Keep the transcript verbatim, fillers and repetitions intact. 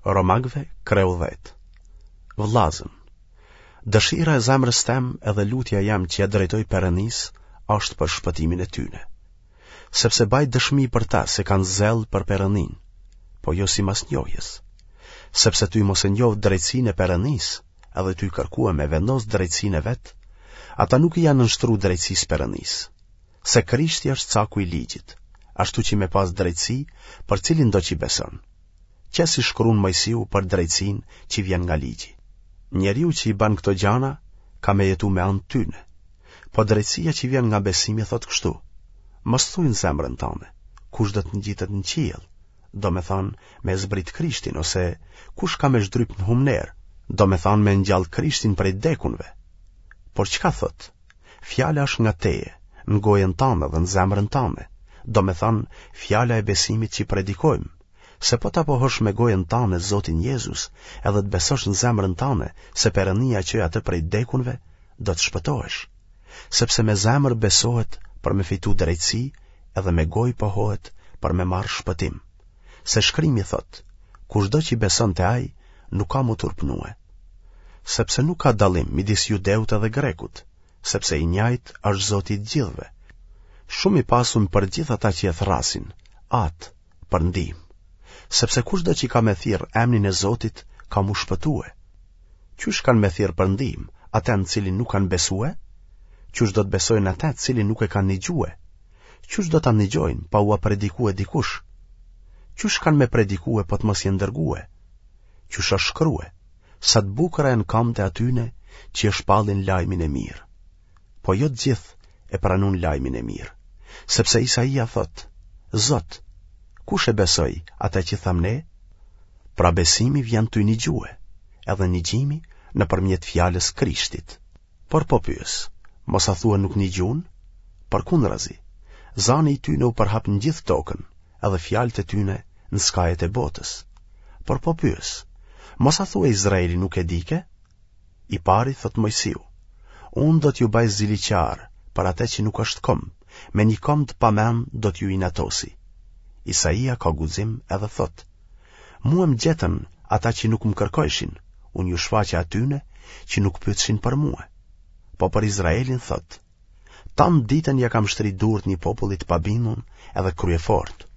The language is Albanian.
Romakëve kreu dhjetë. Vëllazën, dëshira e zemrës tem edhe lutja jem që ja drejtoj Perënisë është për shpëtimin e tyne. Sepse baj dëshmi për ta se kanë zell për Perëninë, po jo simas njohjes. Sepse tuj mos e njoftë drejtësinë e Perënisë, edhe tuj kërkue me vendos drejtësinë e vet, ata nuk i janë nënshtru drejtësisë Perënisë. Se Krishti është caku i ligjit, ashtu që me pas drejtësi për cilindo që beson. Qe si shkrun Moisiu për drejtësinë që vjen nga ligji. Njeriu që i ban këto gjana, ka me jetu me anë tyne. Po drejtësia që vjen nga besimi thotë kështu, mos thuj në zemrën tane, kush do të ngjitet në qiell, domethanë me zbrit Krishtin, ose kush ka me zhdryp në humnerë, domethanë me ngjall Krishtin prej dekunve. Por çka thotë? Fjala është nga teje, në gojën tane dhe në zemrën tane, domethanë fjala e besimit që predikojmë, se po ta pohosh me gojën tane Zotin Jezus, edhe të besosh në zemrën tane se Perënia çoi atë prej dekunve, do të shpëtohesh. Sepse me zemër besohet për me fitu drejtësi, edhe me gojë pohohet për me marrë shpëtim. Se shkrimi thotë, kushdo që beson te ai, nuk ka m'u turpnue. Sepse nuk ka dallim midis judeut edhe grekut, sepse i njajtë është Zoti i të gjithëve. Shumë i pasun për gjithë ata që e thërrasin, atë, për ndihmë. Sepse kushdo që ka me thirrë emnin e Zotit, ka m'u shpëtue. Qysh kanë me thirrë për ndihmë, atë në cilin nuk kanë besue? Qysh do të besojnë atë cilin nuk e kanë nigjue? Qysh do ta nigjojnë pa ua predikue dikush? Qysh kanë me predikue po të mos jenë dërgue? Qysh është shkrue? Sa të bukura janë kamët e atyne që e shpallin lajmin e mirë. Po jo të gjithë e pranun lajmin e mirë, sepse Isaia thotë, Zot, kush e besoi atë që thamë ne? Pra besimi vjen tuj nigjue, edhe nigjimi nëpërmjet fjalës Krishtit. Por po pyes, mos a thua nuk nigjun? Përkundrazi, zani i tyne u përhap në gjithë tokën, edhe fjalët e tyne në skajet e botës. Por po pyes, mos a thua Izraeli nuk e dike? I pari thot Moisiu, unë do t'ju baj ziliqar për atë që nuk është komb, me një komb të pamen do t'ju inatosi. Isaia ka guxim edhe thot, mua më gjetën ata që nuk më kërkojshin, unë ju shfaqa atyne që nuk pyetshin për mua. Po për Izraelin thot, tanë ditën ja kam shtri durt një populli të pabindun edhe kryefort.